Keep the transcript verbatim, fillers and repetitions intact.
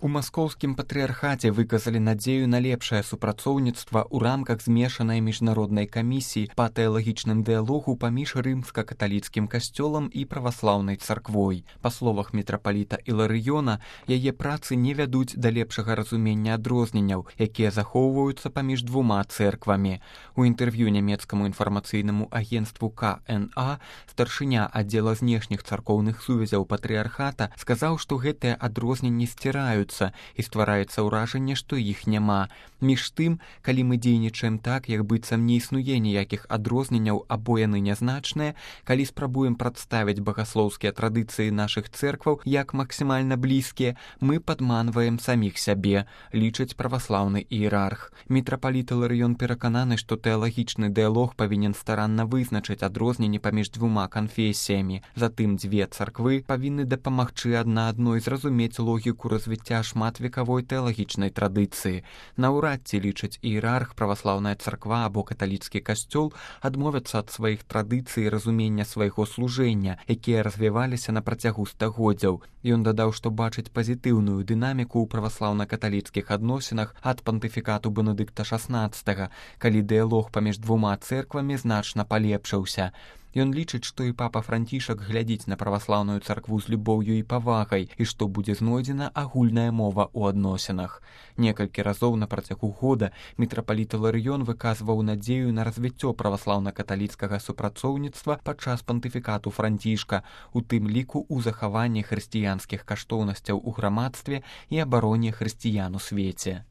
У маскоўскім патрыярхаце выказалі надзею на лепшае супрацоўніцтва ў рамках змешанай міжнароднай камісіі па тэалагічным дыялогу паміж рымска-каталіцкім касцёлам і праваслаўнай царквой. Па словах мітрапаліта Іларыёна, яе працы не вядуць да лепшага разумення адрозненняў, якія захоўваюцца паміж двума цэрквамі. У інтэрв'ю нямецкаму інфармацыйнаму агенцтву ка эн а старшыня аддзела знешніх царкоўных сувязяў патрыярхата сказаў, што гэтыя адрозненні сціраюць і ствараецца ўражанне, што іх няма. Між тым, калі мы дзейнічаем так, як быццам не існуе ніякіх адрозненняў або яны нязначныя, калі спрабуем прадставіць багаслоўскія традыцыі нашых цэркваў як максімальна блізкія, мы падманваем саміх сябе, лічыць праваслаўны іерарх. Мітрапаліт Іларыён перакананы, што тэалагічны дыялог павінен старанна вызначыць адрозненні паміж двума канфесіямі. Затым дзве царквы павінны дапамагчы адна адной зразумець логіку развіцця шматвекавой тэалагічнай традыцыі. Наўрад ці, лічыць іерарх, праваслаўная царква або каталіцкі касцёл адмовяцца ад сваіх традыцый і разумення свайго служэння, якія развіваліся на працягу стагоддзяў. Ён дадаў, што бачыць пазітыўную дынаміку ў праваслаўна-каталіцкіх адносінах ад пантыфікату Бенедыкта шаснаццатага, калі дыялог паміж двума цэрквамі значна палепшыўся. Ён лічыць, што і папа Францішак глядзіць на праваслаўную царкву з любоўю і павагай, і што будзе знойдзена агульная мова ў адносінах. Некалькі разоў на працягу года мітрапаліт Іларыён выказваў надзею на развіццё праваслаўна-каталіцкага супрацоўніцтва падчас пантыфікату Францішка, у тым ліку ў захаванні хрысціянскіх каштоўнасцяў у грамадстве і абароне хрысціян у свеце.